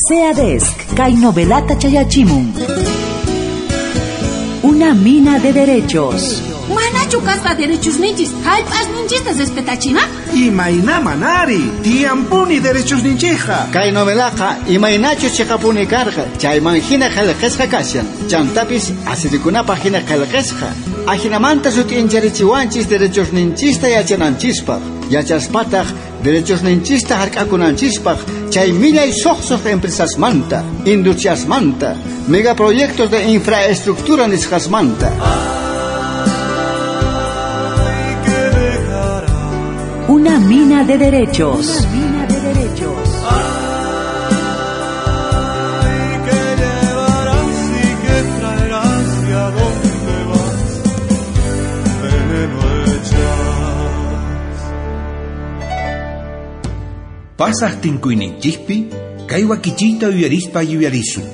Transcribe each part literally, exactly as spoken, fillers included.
SEADESC, kay novelata chayachimun. Una mina de derechos. Manachu kasqa derechos ninchis, hallp'as ninchista respetachina? Imayna manari, tiyampuni derechos ninchija. Kay novelaqa imaynachu chiqapuni karqa, chayman hina qillqasqa kashan. Chantapis asirikunapaq hina qillqasqa. Ajinamanta sut'incharichiwanchis derechos ninchista yachananchispaq. Yachaspataq derechos ninchista hark'akunanchispaq, chay millay suqsuq empresasmanta, industriasmanta, megaproyectos de infraestructura nisqasmanta. Una mina de derechos. Una mina de derechos. Ay, que llevarás y que traerás y a dónde vas, veneno echas. Pasas tinkuyninchikpi, kay wakichiyta yuyarispa yuyarisun.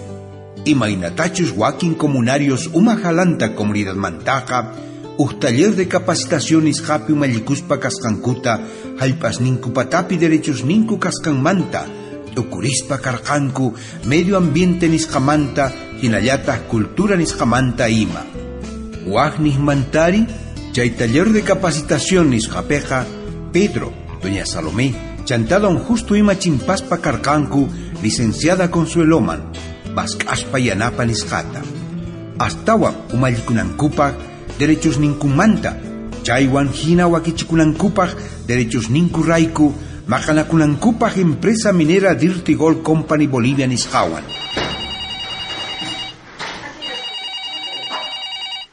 Imaynatachus wakin comunarios umajalanta comunidadmantaqa, uj taller de capacitación nisqapi umallikuspa kasqankuta, hallp'asninku patapi derechos ninku kasqanmanta, tukurispa karqanku medio ambiente nisqamanta, hinallataq cultura nisqamanta ima. Waj nismantari, chay taller de capacitación nisqapeqa, Pedro, doña Salomé, chantá don Justo ima chimpaspa karqanku, licenciada Consueloman, mask'aspa yanapa nisqata. Astawan umallikunankupaq derechos ninkumanta, chaywan hina wakichikunankupaq derechos ninku rayku, maqanakunankupaq empresa minera Dirty Gold Company Bolivia nisqawan.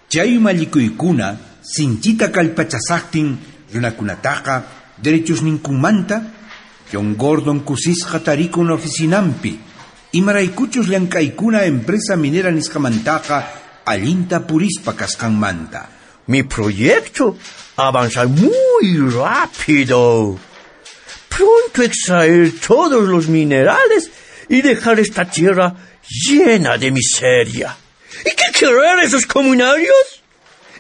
Chay umallikuykuna sinchita kallpachasaqtin runakunataqa derechos ninkumanta, John Gordon kusisqa tarikun oficinampi, imaraykuchus llank'aykuna empresa minera nisqamantaqa allinta purispa kasqanmanta. Mi proyecto avanza muy rápido. Pronto extraer todos los minerales y dejar esta tierra llena de miseria. ¿Y qué querer esos comunarios?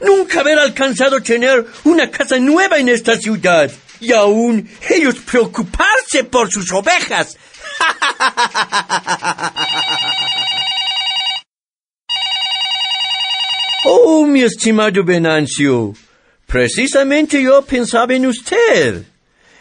Nunca haber alcanzado tener una casa nueva en esta ciudad. Y aún ellos preocuparse por sus ovejas. Oh, mi estimado Venancio, precisamente yo pensaba en usted.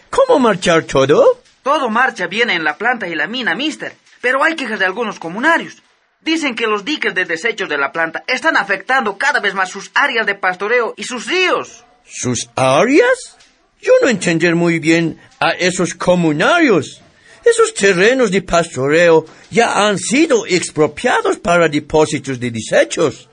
¿Cómo marchar todo? Todo marcha bien en la planta y la mina, mister, pero hay quejas de algunos comunarios. Dicen que los diques de desechos de la planta están afectando cada vez más sus áreas de pastoreo y sus ríos. ¿Sus áreas? Yo no entender muy bien a esos comunarios. Esos terrenos de pastoreo ya han sido expropiados para depósitos de desechos.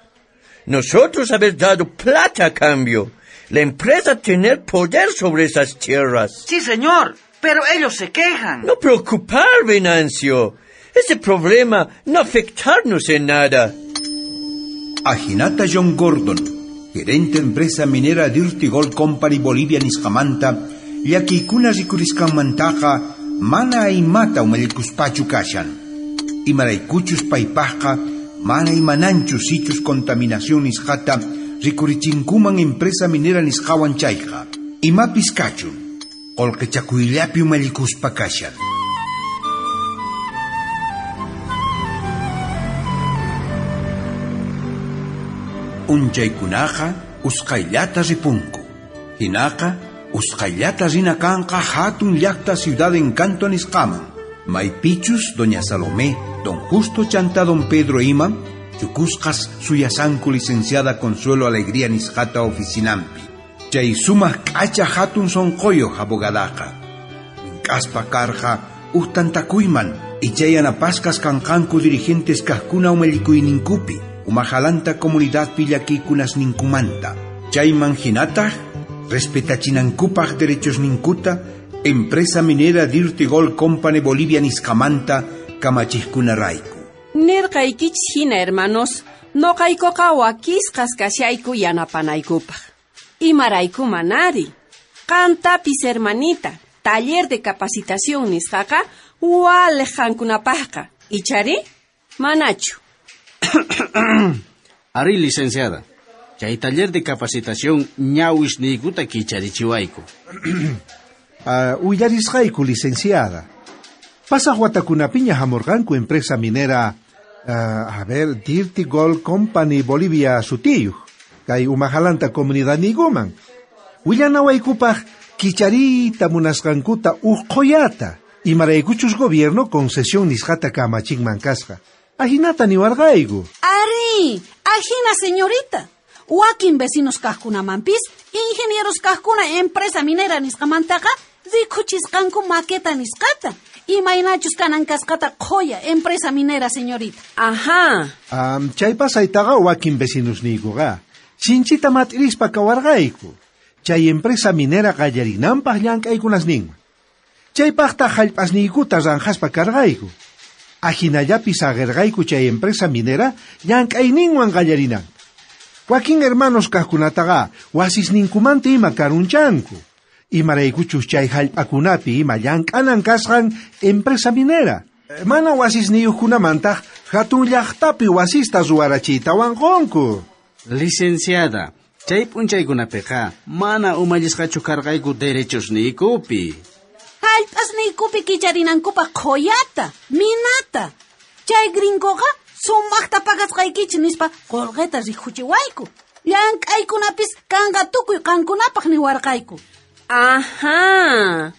Nosotros haber dado plata a cambio. La empresa tener poder sobre esas tierras. Sí, señor, pero ellos se quejan. No preocupar, Venancio. Ese problema no afectarnos en nada. Ajinata John Gordon, gerente empresa minera Dirty Gold Company Bolivia nisqamanta, llakiykuna rikurisqanmantaqa mana imata umallikuspachu kashan. Imaraykuchus paypaqqa mana imananchu sichus contaminación nisqata rikurichinkuman empresa minera nisqawan chayqa. Imapis kachun, qullqichakuyllapi umallikuspa kashan. Unchaykunaqa usqhayllata ripunku. Hinaqa usqhayllata rina kanqa hatun llaqta Ciudad Encanto nisqaman. Maypichus doña Salomé, don Justo chanta don Pedro ima, chukusqas suyasanku licenciada Consuelo Alegría nisqata oficinampi. Chay sumaq k'acha hatun sunquyuq abogadaqa. Mink'aspa karqa uqtantakuyman, ichay yanapasqas kanqanku dirigentes kaqkuna umallikuyninkupi, umajalanta comunidadpi llakiykunasninkumanta. Chayman hinataq respetachinankupaq derechos ninkuta, empresa minera Dirty Gold Company Bolivia nisqamanta kamachikkunarayku. Nirqaykichis hina, hermanos, noqaykuqa wakisqas kashayku yanapanaykupaq. Imarayku manari. Qantapis, hermanita, taller de capacitación nisqaqa waliq qankunapaqqa. Ichari? Manachu. Ari, licenciada. Chay taller de capacitación ñawisniykuta kicharichiwayku. Uh, uyarisqayku, licenciada. Pasaq watakunapiña hamurqanku empresa minera, uh, a ver, Dirty Gold Company Bolivia sutiyuq, kay umajalanta comunidadniykuman. Willanawaykupaq kichariyta munasqankuta uj qhoyata, imaraykuchus gobierno concesión nisqata kamachinman kasqa. Ajinata niwarqayku. Ari, ajina señorita. Wakin vecinos kajkunamanpis, ingenieros kajkuna empresa minera nisqamantaqa rikuchisqanku maqueta nisqata. Imaynachus kanan kasqata qhoya empresa minera, señorita. Ajá. Um, chay pasaytaqa wakin vecinosniykuqa sinchita mat'irispa kawarqayku. Chay empresa minera qallarinanpaq llank'aykunasninman. Chaypaqta hallp'asniykuta ranjaspa karqayku. Ajinallapi saqirqayku chay empresa minera llank'ayninwan qallarinanta. Wakin hermanos kajkunataqa wasisninkumanta ima karunchanku. Imaraykuchus chay hallp'akunapi ima llank'anan kasqan empresa minera. Mana wasisniyuqkunamantaq hatun llaqtapi wasista ruwarachiytawan qunku. Licenciada, chay p'unchaykunapiqa mana umallisqachu karqayku derechosniykupi. Hallp'asniykupi kicharinankupaq qhoyata, minata. Chay gringoqa sumaqta pagasqaykichik nispa qolqeta rikuchiwayku. Llank'aykunapis kanqa tukuy qankunapaq niwarqayku. Ajá.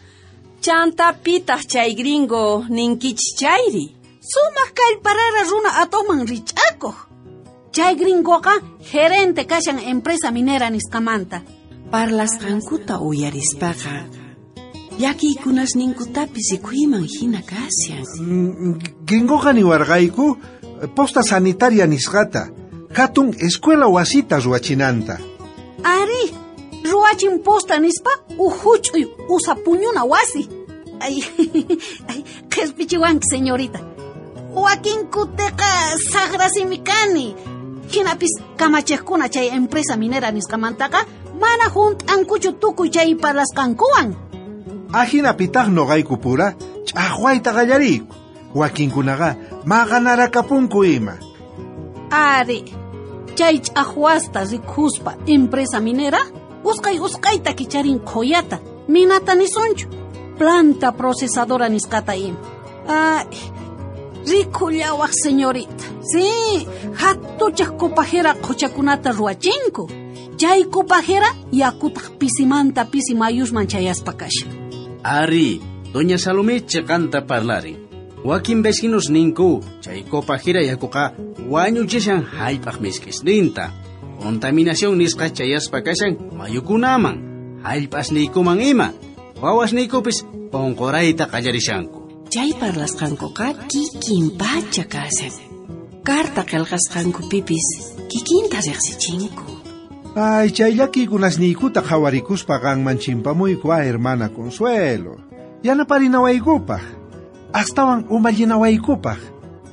Chantapitaq chay gringo ninkichis chayri. Sumaq kallparara runa atoman rich'akuq. Chay gringoqa gerente kashan empresa minera nisqamanta. Parlasqankuta uyarispaqa llakiykunasninkutapis rikuyman hina kashan. Mm, gringoqa niwarqayku posta sanitaria nisqata, hatun escuela wasita ruwachinanta. Ari, ruwachin posta nispa uj huch'uy usa puñuna wasi. Ay, ay, qhispichiwanki, señorita. Wakinkutiqa saqrasimi kani. Hinapis kamachiqkuna chay empresa minera nisqamantaqa mana hunt'ankuchu tukuy chay parlasqankuwan. Ajinapitaq noqayku pura ch'aqwayta qallariyku. Wakinkunaqa maqanarakapunku ima. Ari, chay ch'aqwasta rikuspa empresa minera usqay usqayta kicharin qhoyata, minata nisunchu, planta procesadora nisqata ima. Ay, rikullawaq, señorita. Sí, hatuchaq copajera qhuchakunata ruwachinku. Chay copajera yakutaq pisimanta pisi mayusman chayaspa kashan. Ari, doña Salomé chiqanta parlarin. Wakin vecinos ninku, chay copajera yakuqa wañuchishan hallp'aq misk'isninta. Contaminación nisqa chayaspa kashan mayukunaman, hallp'asniykuman ima. Wawasniykupis unqurayta qallarishanku. Chay parlasqankuqa kikin pacha kashan. Carta qillqasqankupipis kikinta riqsichinku. Ay, chay llakiykunasniykuta qhawarikuspa qanman chimpamuyku a hermana Consuelo. Yanaparinawaykupaq, astawan umallinawaykupaq,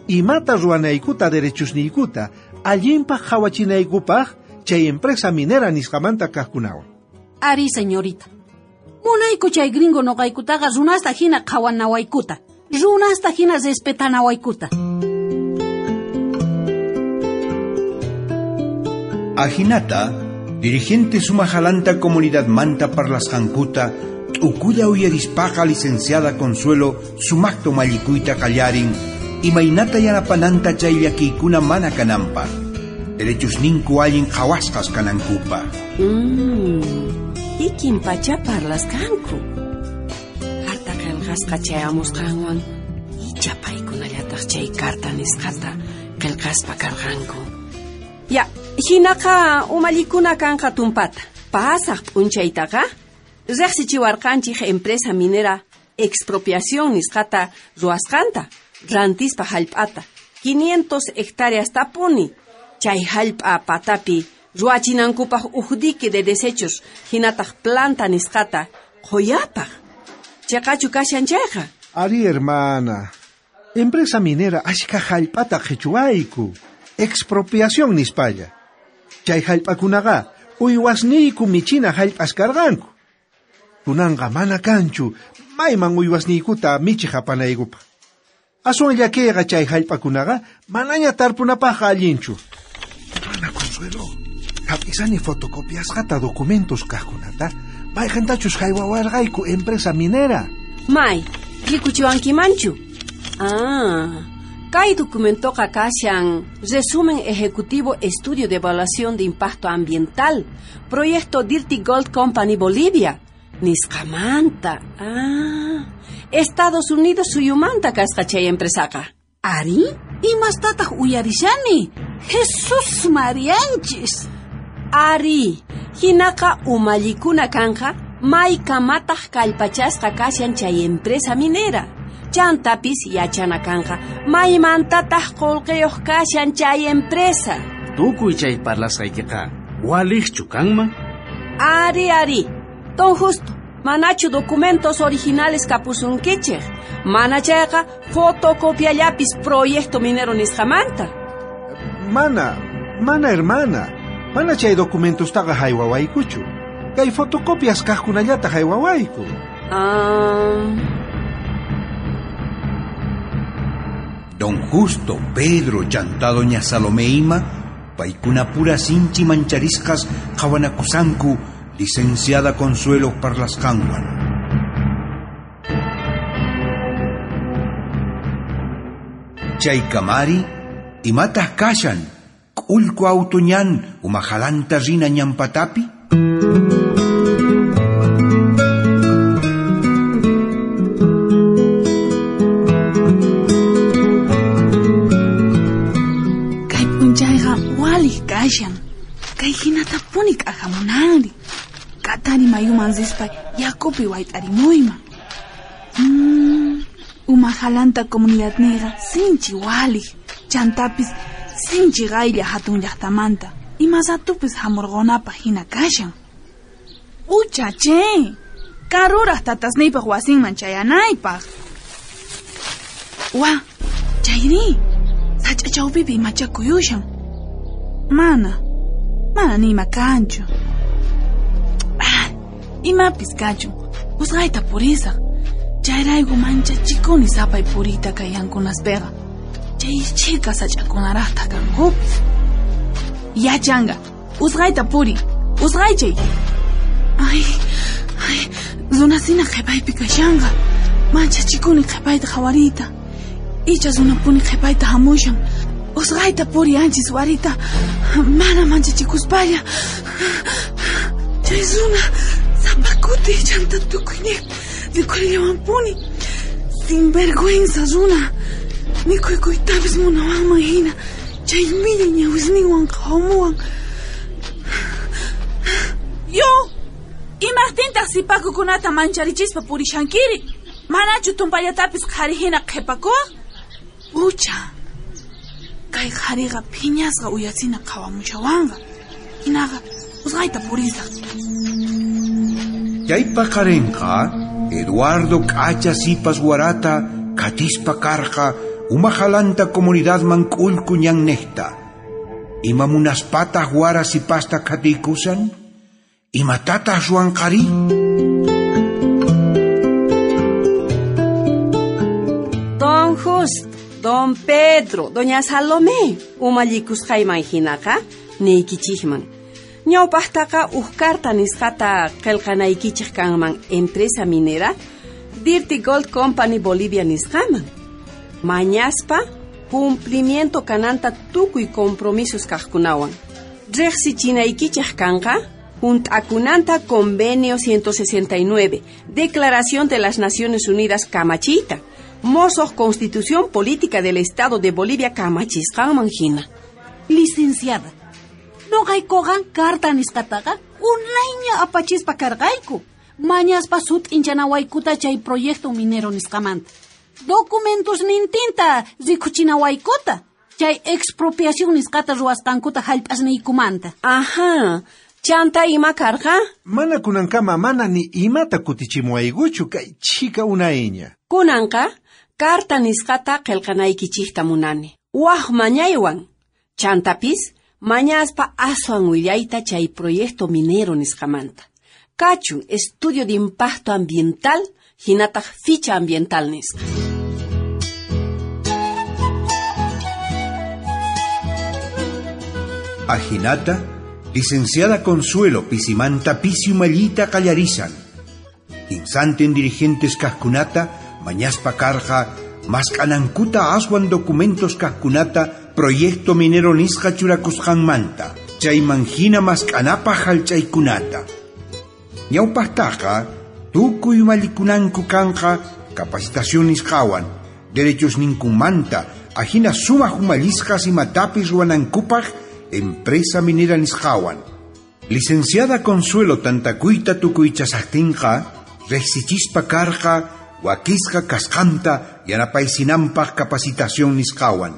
imata ruwanaykuta derechosniykuta allinpaq qhawachinaykupaq chay empresa minera nisqamanta kajkunawan. Ari, señorita. Munayku chay gringo noqaykutaqa runasta hina qhawanawaykuta, runasta hina respetanawaykuta. Ajinata, dirigente sumajalanta comunidad manta parlasqankuta t'ukulla uyarispaqa licenciada Consuelo sumaqta umallikuyta qallarin imaynata yanapananta chay llakiykuna mana kananpaq, derechosninku allin qhawasqas kanankupaq. Mm, kikin pacha parlasqanku. Carta qillqasqa chayamusqanwan icha paykunallataq chay carta nisqata qillqaspa karqanku. Ya, hinaqa umallikuna kanqa tumpata. Pasaq p'unchaytaqa riqsichiwarqanchik empresa minera expropiación nisqata ruwasqanta, rantispa hallp'ata, quinientas hectáreas tapuni. Chay hallp'a patapi ruwachinankupaq uj dique de desechos hinataq planta nisqata qhoyapaq. Chaqachu kashan chayqa? Ari, hermana, empresa minera ashka hallp'ata qhichuwayku. Expropiación nispalla. Chay hallp'akunaqa uywasniyku michina hallp'as karqanku. Kunanqa mana kanchu mayman uywasniykuta michiq apanaykupaq. Aswan llakiyqa chay hallp'akunaqa manaña tarpunapaqqa allinchu. Mana Consuelo, hap'isani fotocopiasqata documentos kajkunata mayqintachus haywawarqayku empresa minera. May, Rikuchiwankimanchu. Ah, kay documentoqa kashan Resumen Ejecutivo Estudio de Evaluación de Impacto Ambiental, Proyecto Dirty Gold Company Bolivia. Nisqamanta. Ah, Estados Unidos suyumanta kasqa chay empresaqa. Ari, imastataq uyarishani? Jesus Marianchis. Ari, hinaqa umallikuna kanja maykamataq kallpachasqa kashan chay empresa minera. Chantapis yachana kanja maymantataq qullqiyuq kashan chay empresa. Tukuy chay parlasqaykiqa waliqchu kanman? Ari, ari. Don Justo, manachu documentos originales kapusunkichej. Mana chayqa fotocopiallapis proyecto minero nisqamanta. Mana, mana hermana. Mana chay documentostaqa haywawaykuchu. Kay fotocopias kaqkunallata haywawayku. Ah... Don Justo, Pedro, chantá doña Salomé ima, paykunapura sinchi mancharisqas qhawanakusanku, licenciada Consuelo parlasqanwan. Chaykamari, imataq kashan, k'ullku auto ñan umajalanta rina ñanpatapi? Kay p'unchayqa waliq kashan. Kay hinatapuni k'ajamunanri. Katari mayuman rispa yakupi wayt'arimuyman. Mm, umajalanta comunidadniyqa sinchi waliq. Chantapis sinchi qaylla hatun llaqtamanta. Imasatupis hamurqunapaq hina kashan. Ucha che! Karuraq tatasniypaq wasinman chayanaypaq. Wa, chayri! Sach'a chawpipi imacha kuyushan. Mana, mana ni ima kanchu. Ah, imapis kachun, usqhayta purisaq. Chayrayku manchachikuni sapay puriyta kay yankunaspiqa. Chay chhika sach'akunaraqtaq kankupis. Yachanga, usqhayta puri, usqhaychay. Ay, ay, runasina qhipaypi kashanqa. Manchachikuni qhipayta qhawariyta. Icha runapuni qhipayta hamushan. Usqhayta puri anchis warita. Mana manchachikuspalla. Chay runa sapa kuti chanta tukuyniq rikhurillawanpuni. Sinvergüenza runa. Mikhuykuytapis munawanman hina. Chay millay ñawisninwan qhawamuwan. Yo! Imaqtintaq sipakukunata mancharichispa purishankiri? Manachu tumpallatapis qhari hina qhipakuwaq? Ucha! Kay qhariqa phiñasqa uyasina qhawamushawanqa. Hinaqa usqhayta purisaq. Chay paqarinqa Eduardo k'acha sipas warata katispa karqa umajalanta comunidadman k'ullku ñanniqta. Ima munaspataq wara sipasta qhatiykusan? Imatataq ruwanqari? Don Justo, Don Pedro, Doña Salomé, umallikusqayman hinaqa niykichikman. Ñawpaqtaqa uj carta nisqata qillqanaykichik kanman empresa minera Dirty Gold Company Bolivia nisqaman. Mañaspa cumplimiento kananta tukuy compromisos kaqkunawan. Riqsichinaykichik kanqa hunt'akunanta Convenio ciento sesenta y nueve, Declaración de las Naciones Unidas kamachiyta, Mosoq Constitución Política del Estado de Bolivia kamachisqanman hina. Licenciada, noqaykuqa carta nisqataqa unayña apachispa karqayku. Mañaspa sut'inchanawaykuta chay proyecto minero nisqamanta. Documentos nintinta rikuchinawaykuta. Chay expropiación nisqata ruwasqankuta hallp'asniykumanta. Ajá. Chanta ima karqa? Mana kunankama mana ni imata kutichimuwaykuchu kay chhika unayña. Kunanqa carta nisqata qillqanaykichikta munani. Waj mañaywan. Chantapis mañaspa aswan willayta chay proyecto minero nisqamanta. Kachun estudio de impacto ambiental hinataq ficha ambiental nisqa. Ajinata, licenciada Consuelo pisimanta pisi umallita qallarisan. Kinsantin dirigentes kaqkunata Mañaspa karqa mask'anankuta aswan documentos kajkunata proyecto minero nisqa churakusqanmanta. Chayman hina mask'anapaj hallch'aykunata. Ñawpaqtaqa tukuy umallikunanku kanqa capacitación nisqawan, derechos ninkunmanta, ajina sumaq umallisqas imatapis ruwanankupaj empresa minera nisqawan. Licenciada Consuelo tantakuyta tukuychasaqtinqa, riqsichispa karqa wakisqa kasqanta yanapaysinanpaq capacitación nisqawan.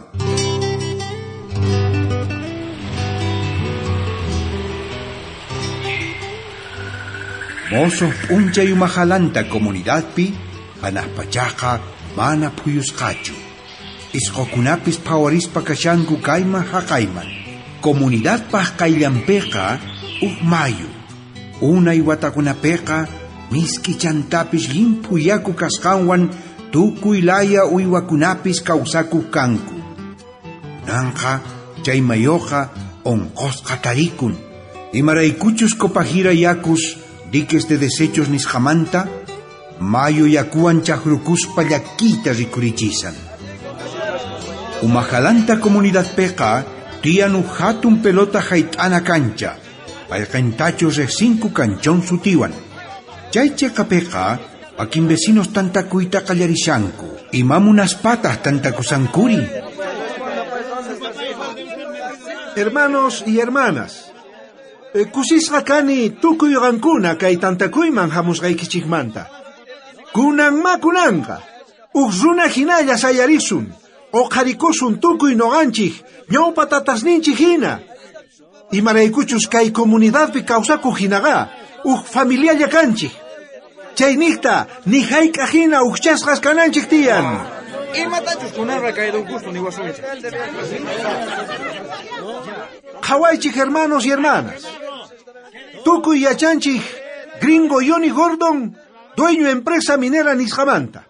Mozos p'unchay umajalanta comunidadpi, hanaqpachaqa mana phuyusqachu. Isqukunapis phawarispa kashanku kayman haqayman. Comunidadpaq qayllanpiqa uj mayu. Unay watakunapiqa misk'i chantapis llimphu yaku kasqanwan tukuy laya uywakunapis kawsakuq kanku. Kunanqa chay mayuqa unqusqa tarikun. Imaraykuchus Copajira yakus diques de desechos nisqamanta, mayu yakuwan chaqrukuspa llakiyta rikurichisan. Umajalanta comunidadpiqa tiyan uj hatun pelota hayt'ana kancha, payqintachus riqsinku kanchón sutiwan. Chay chiqapiqa wakin vecinos tantakuyta qallarishanku, imamunaspataj tantakusankuri. Hermanos y hermanas, kusisqa kani tukuy qankuna kay tantakuyman hamusqaykichikmanta. Kunanma kunanqa, uj runa hinalla sayarisun, uqharikusun tukuy noqanchik, ñawpa tatasninchik hina. Imaraykuchus kay comunidadpi kawsakuq hinaqa, uj familialla kanchik. Chayniqta ni hayk'aq hina ujchasqas kananchik tiyan. Imatachus kunanqa kay don Justo niwasunchik. Qhawaychik hermanos y hermanas. Tukuy yachanchik gringo Johnny Gordon, dueño empresa minera nisqamanta.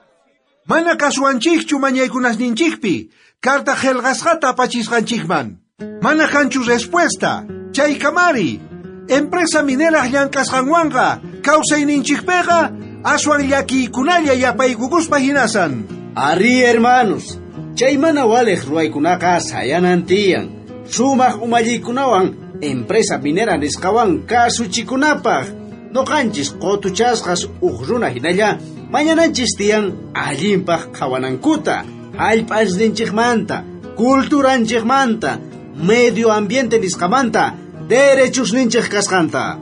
Mana kasuwanchikchu mañaykunasninchikpi, carta qillqasqata apachisqanchikman. Mana kanchu respuesta, chaykamari. Empresa minera llank'asqanwanqa kawsayninchikpiqa aswan llakiykunalla yapaykukuspa hinasan. Ari hermanos, chay mana waliq ruwaykunaqa sayanan tiyan. Sumaq umallikunawan empresa minera nisqawan kasuchikunapaq. Noqanchis qutuchasqas uj runa hinalla mañananchis tiyan allinpaq qhawanankuta, hallp'asninchikmanta, culturanchikmanta, medio ambiente nisqamanta, derechusninchik kasqanta.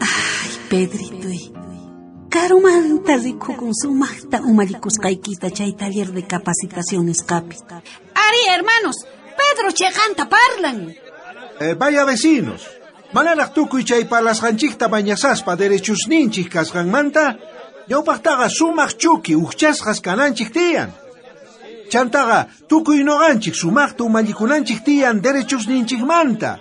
Ay, Pedritoy, karumanta rikukun sumaqta umallikusqaykita chay taller de capacitación nisqapi. Ari, hermanos, Pedro chiqanta parlan. Eh, vaya vecinos, manaraq tukuy chay parlasqanchikta mañasaspa derechusninchik kasqanmanta, ñawpaqtaqa sumaq chuki ujchasqas kananchik tiyan. Chantaqa tukuy noqanchik sumaqta umallikunanchik tiyan derechusninchikmanta.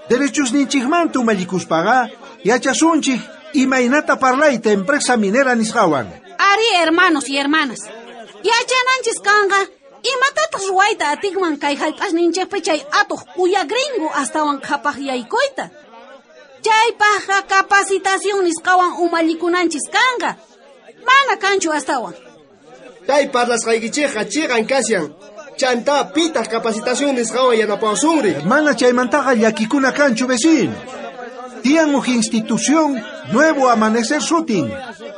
Derechusninchikmanta umallikuspaqa yachasunchik imaynata parlayta empresa minera nisqawan. Ari, hermanos y hermanas, yachananchis kanqa imatataq ruwayta atikman kay hallp'asninchikpi chay atuq uya gringo astawan qhapaq yaykuyta. Chaypaqqa capacitación nisqawan umallikunanchis kanqa. Mana kanchu astawan. Chay parlasqaykichikqa chiqan kashan. Chanta pitaq capacitación nisqawan yanapawasunri. Mana chaymantaqa llakikuna kanchu vecino. Tiyan uj institución Nuevo Amanecer sutin.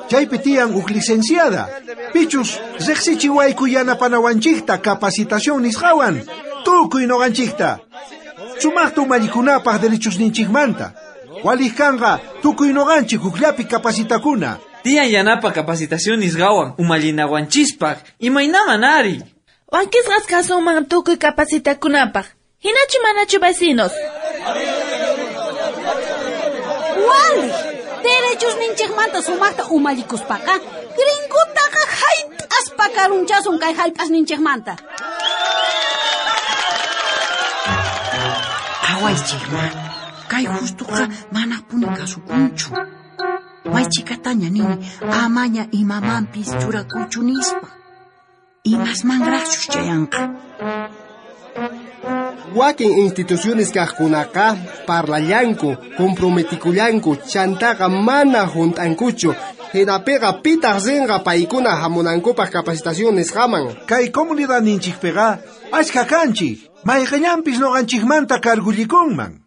Chaypi tiyan uj licenciada. Pichus riqsichiwayku yanapanawanchikta capacitación nisqawan. Tukuy noqanchikta. Sumaqta umallikunapaq derechusninchikmanta. Waliq kanqa tukuy noqanchik hukllapi capacitakuna. Tiyan yanapa capacitación nisqawan umallinawanchispaq imaynaman ari. Wankisqas kasunman tukuy capacitakunapaq. Hinachu manachu vecinos. Waliq, derechusninchikmanta sumaqta umallikuspaqa, gringutaqa hayt'aspa karunchasun kay hallp'asninchikmanta. Qhawaychikma, kay Justuqa manapuni kasukunchu. Maychikataña nini amaña imamanpis churakuchu nispa. Imasmanraqchus chayanqa. Wakin instituciones kaqkunaqa parlallanku, comprometikullanku, chantaqa mana junt'ankuchu. Hinapiqa pitaq rinqa paykuna hamunankupaq capacitación nisqaman. Kay comunidadninchikpiqa achka kanchik, mayqillanpis noqanchikmanta kargullikunman.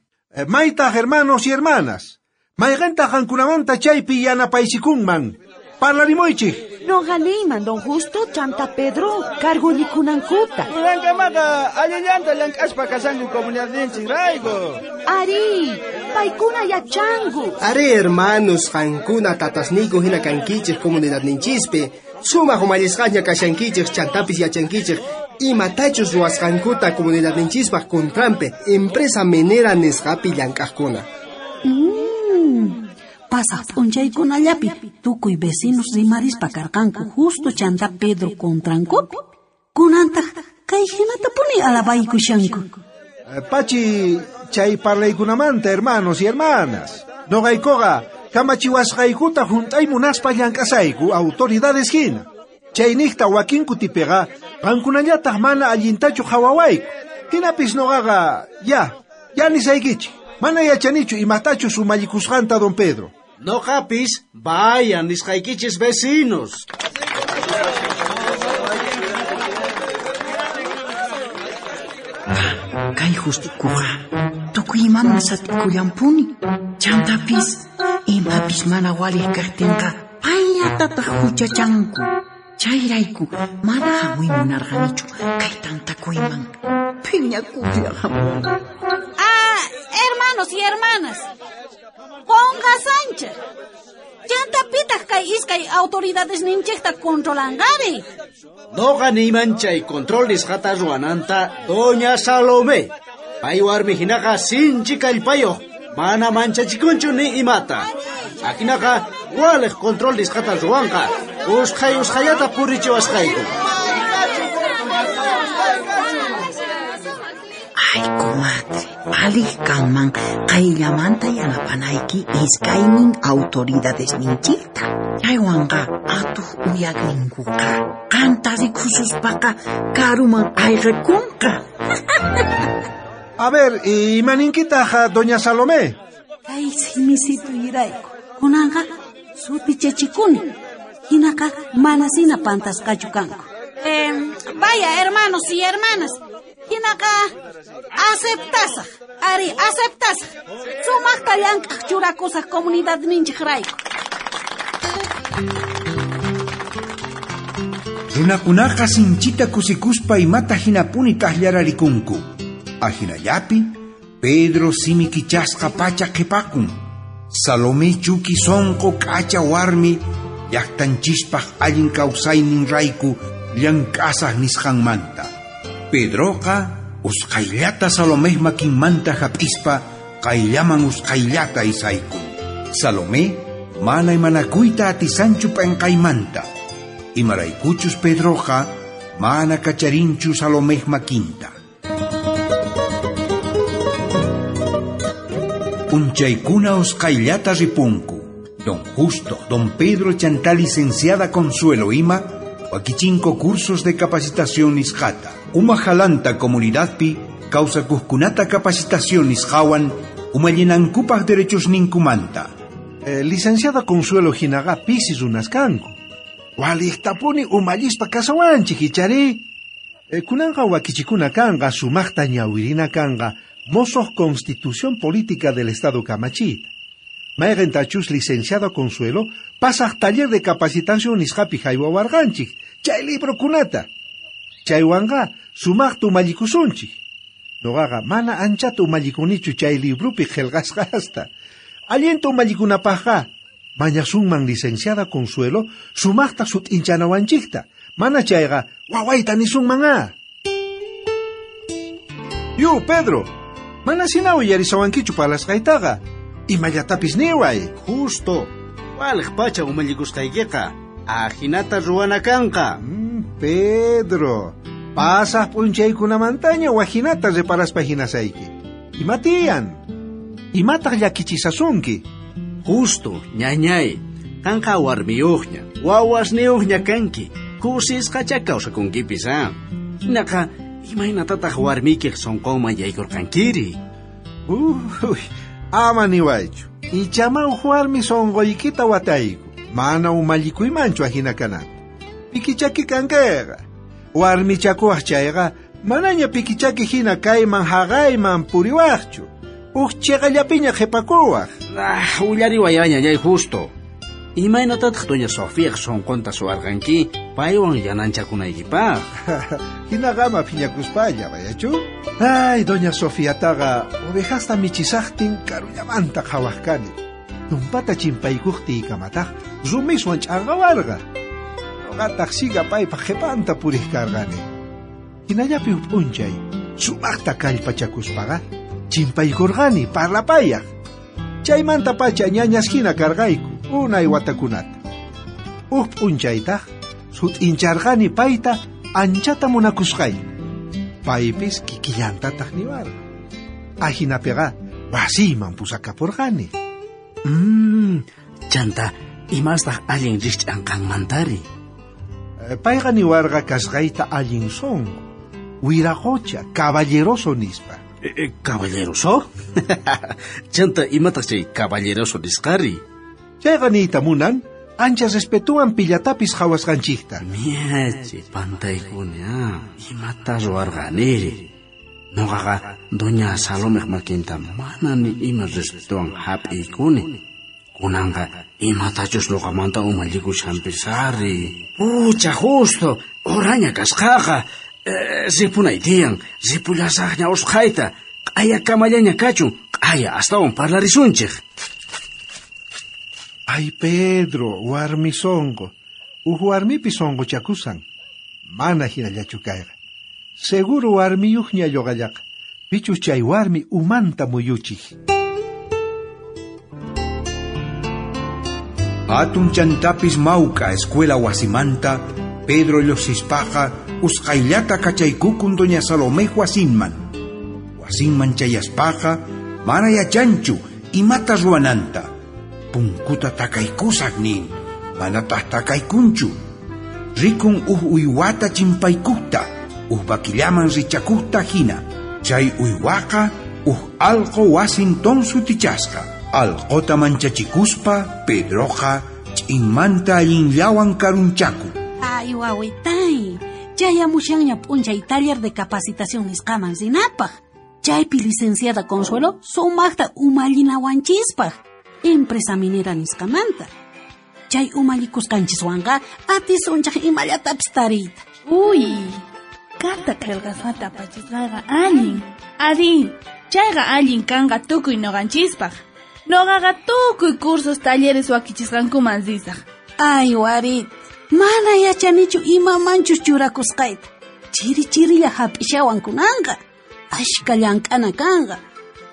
Maytaq hermanos y hermanas, mayqintaq qankunamanta chaypi yanapaysikunman. Parlarimuychik. Noqa niyman don Justo chanta Pedro kargullikunankuta. Kamaqa allillanta llank'aspa kashanku comunidadninchikrayku. Ari, paykuna yachanku. Ari, hermanos, qankuna tatasniyku hina kankichik comunidadninchispi. Sumaq umallisqaña kashankichik chantapis yachankichik imatachus ruwasqankuta comunidadninchispaq contranpi empresa minera nisqapi llank'aqkuna. Mm. Pasaq p'unchaykunallapi tukuy vecinos rimarispa karqanku Justo chanta Pedro contrankupi. Kunantaq kay hinatapuni alabaykushanku. Pachi, chay parlaykunamanta hermanos y hermanas. Noqaykuqa kamachiwasqaykuta junt'ay munaspa llank'asayku autoridades hina. Chayniqta wakin kutipiqa qankunallataq mana allintachu qhawawayku. Hinapis noqaqa ya, ya nisaykichik. Mana yachanichu imatachus umallikusqanta don Pedro. Noqapis vayan nisqaykichis vecinos. Kay Justikuqa tukuy imaman sat'ikullanpuni. Chantapis imapis mana waliq kaqtinqa payllatataq huchachanku. Chayrayku mana hamuy munarqanichu kay tantakuyman. Phiñakuqlla hamuni. Ah, hermanos y hermanas, qonqasanchik. Chantapitaq kay iskay autoridades ninchikta controlanqari. Noqa niyman chay control nisqata ruwananta doña Salomé. Pay warmi hinaqa sinchi kallpayuq, mana manchachikunchu ni imata. Ajinaqa waliq control nisqata ruwanqa, usqhay usqhayata purichiwasqayku. Ay, comadre, aliq kanman qayllamanta yanapanayki iskaynin autoridades ninchikta. Chaywanqa atuq uyaqninkuqa qanta rikususpaqa karuman ayqikunqa. A ver, imaninkitaq doña Salomé? Kay simisituyrayku kunanqa sutichachikuni. Hinaqa manasina pantasqachu kanku. Eh, vaya, hermanos y hermanas. Hinaqa aceptasaq, ari aceptasaq. Sumaqta llank'aq churakusaq comunidadninchikrayku. Runakunaqa sinchita kusikuspa imata hinapuni taqllararikunku. Ajinallapi Pedro simi kichasqa pacha qhipakun. Salomé chuki sonqo k'acha warmi llaqtanchispaq allin kawsaynin rayku llank'asaq nisqanmanta. Pedroqa usqhayllata Salomé makinmanta hap'ispa qayllaman usqhayllata isaykun. Salomé mana imanakuyta atisanchu p'enqaymanta. Imaraykuchus Pedroqa mana kacharinchu Salomé makinta. P'unchaykuna usqhayllata ripunku. Don Justo, don Pedro chantá licenciada Consuelo ima wakichinko cursos de capacitación nisqata. Umajalanta comunidadpi kawsakuqkunata capacitación nisqawan umallinankupaq derechos ninkumanta. Eh, licenciada Consuelo hinaqa pisi runas kanku. Waliqtapuni umallispa kasawanchik ichari. Eh, kunanqa wakichikuna kanqa sumaqta ñawirina kanqa mosoq Constitución Política del Estado kamachiyta. Mayqintachus licenciada Consuelo pasaq taller de capacitación nisqapi haywawarqanchik chay librokunata. Chaywanqa sumaqta umallikusunchik. Noqaqa mana anchata umallikunichu chay librupi qillqasqasta. Allinta umallikunapaqqa mañasunman licenciada Consuelo sumaqta sut'inchanawanchikta. Mana chayqa wawayta nisunman a. Yu, Pedro, mana sina uyarisawankichu parlasqaytaqa. Imallatapis niway. Justo, waliq pacha umallikusqaykiqa ajinata ruwana kanqa. Mm, Pedro, pasaq p'unchaykunamantaña wajinata reparaspa hinasayki. Imatiyan? Imataq llakichisasunki? Justo, ñañay, qanqa warmiyuqña, wawasniyuqña kanki, kusisqacha kawsakunkipis a. Hinaqa, imaynatataq warmiykiq sunqunman yaykurqankiri? Uy, ama niwaychu. Ichama uj warmi sunquykita watayku. Mana umallikuymanchu ahina kananta. Pikichaki kankeqa. Warmichakuwaq chayqa manaña pikichaki hina kayman haqayman puriwaqchu. Uj chiqallapiña qhipakuwaq. Ah, willariwayaña ñay Justo. Imaynatataq doña Sofía sunqunta suwarqanki paywan yananchakunaykipaq. Hinaqa ama phiñakuspalla, bayachu? Ay, doña Sofiataqa ovejasta michisaqtin karullamanta qhawaq kani. Tumpata chimpaykuqtiykamataq rumiswan ch'anqawarqa. Noqataq siga paypaq qhipanta puriq karqani. Hinallapi huk p'unchay sumaqta kallpachakuspaqa chimpaykurqani parlapayaq. Chaymantapacha ñañas hina karqayku unay watakunata. Huk p'unchaytaq sut'incharqani payta anchata munakusqayta. Paypis kikillantataq niwarqa. Ahinapiqa wasiyman pusakapurqani. Mm, chanta, imastaq allin rikch'anqanmantari? Payqa niwarqa kasqayta allin sunqu, wiraqocha, caballeroso nispa. Eh, eh, ¿Caballeroso? Chanta, imataq chay caballeroso nisqari? Chayqa niyta munan, ancha respetuwan pillatapis qhawasqanchikta. Miachi, pantaykuni, ah, imata ruwarqaniri. Noqaqa doña Salomeq makinta mana ni ima respetuwan hap'iykuni. Kunanqa imatachus noqamanta umallikushanpis ari. Pucha, Justo, oraña kasqaqa. Eh, ripunay tiyan, ripullasaqña usqhayta. Q'aya kamallaña kachun, q'aya astawan parlarisunchik. Ay, Pedro, warmi sonqo. Uj warmipi sonqochakusan. Mana hinallachu kayqa. Seguro warmiyuqña lluqallaqa. Pichus chay warmi umanta muyuchik. Atun chantapis mawk'a escuela wasimanta, Pedro lluqsispaqa usqhayllata kachaykukun doña Salomé wasinman. Wasinman chayaspaqa mana yachanchu imata ruwananta. Punkuta takaykusaq nin, manataq takaykunchu. Rikun uj uywata chimpaykukta, uj vaquillaman richakukta hina. Chay uywaqa uj alqo wasinton sutichasqa. Alqota manchachikuspa, Pedroqa ch'inmanta allinllawan karunchaku. Ay, wawitay, chayamushanña p'unchay taller de capacitación nisqaman rinapaq. Chaypi licenciada Consuelo sumaqta umallinawanchispaq. Empresa minera nisqamanta. Chay umallikusqanchiswanqa atisunchaq imallatapis tariyta. Uy, carta qillqasqata apachisqayqa allin. Ari, chayqa allin kanqa tukuy noqanchispaq. Noqaqa tukuy cursos talleres wakichisqankuman risaq. Ay, warit, mana yachanichu imamanchus churakusqayta. Chiri chirilla hap'ishawan kunanqa. Ashka llank'ana kanqa.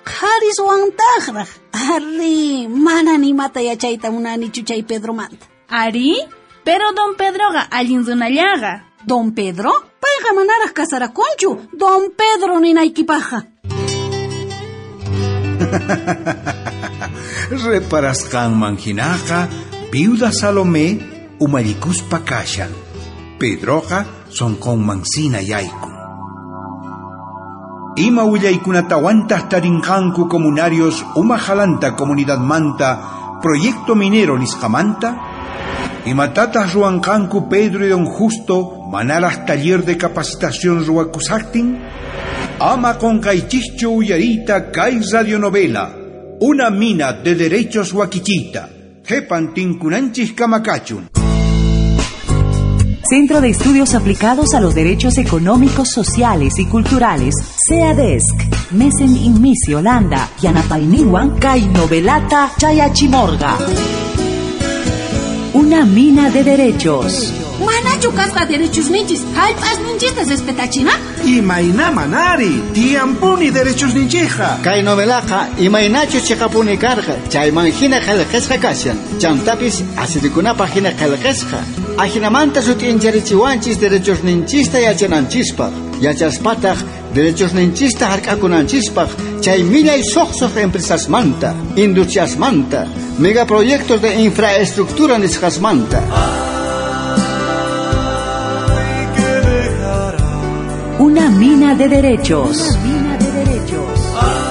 Qhariswantaqraq. Ari, mana nimata yachayta munanichu chay Pedromanta. Ari, pero don Pedroqa allin runallaqa. Don Pedro? Payqa manaraq kasarakunchu. Don Pedro ninaykipaqqa. Reparasqanman hinaqa viuda Salomé umallikuspa kashan. Pedroqa sonqonman sina yaykun. Ima willaykunatawantaq tarinqanku comunarios umajalanta comunidadmanta proyecto minero nisqamanta? Imatataq ruwanqanku Pedro y don Justo manaraq taller de capacitación ruwakusaqtin? Ama qonqaychischu uyariyta kay radionovela Una mina de derechos wakichita. Qhipan tinkunanchis kamakachun. Centro de Estudios Aplicados a los Derechos Económicos, Sociales y Culturales, CEADESC, Mesen Inmisi, Holanda, Yanapayniwan, Kay Novelata, Chayachimorga. Una mina de derechos. Manachu kasqa derechos ninchis, hallp'as ninchista respetachina? Imayna manari, tiyampuni derechos ninchija. Kay novelaqa imaynachu chiqapuni karqa, chayman hina qillqasqa kashan. Chantapis asirikunapaq hina qillqasqa. Ajinamanta sut'incharichiwanchis derechos ninchista yachananchispaq. Yachaspataq derechos ninchista hark'akunanchispaq, chay millay suqsuq empresasmanta, industriasmanta, megaproyectos de infraestructura nisqasmanta. Una mina de derechos. Una mina de derechos. Ay,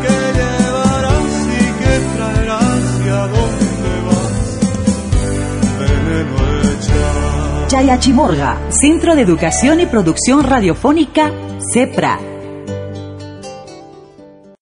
que llevarás y que traerás y a dónde Chayachimorga, Centro de Educación y Producción Radiofónica, CEPRA.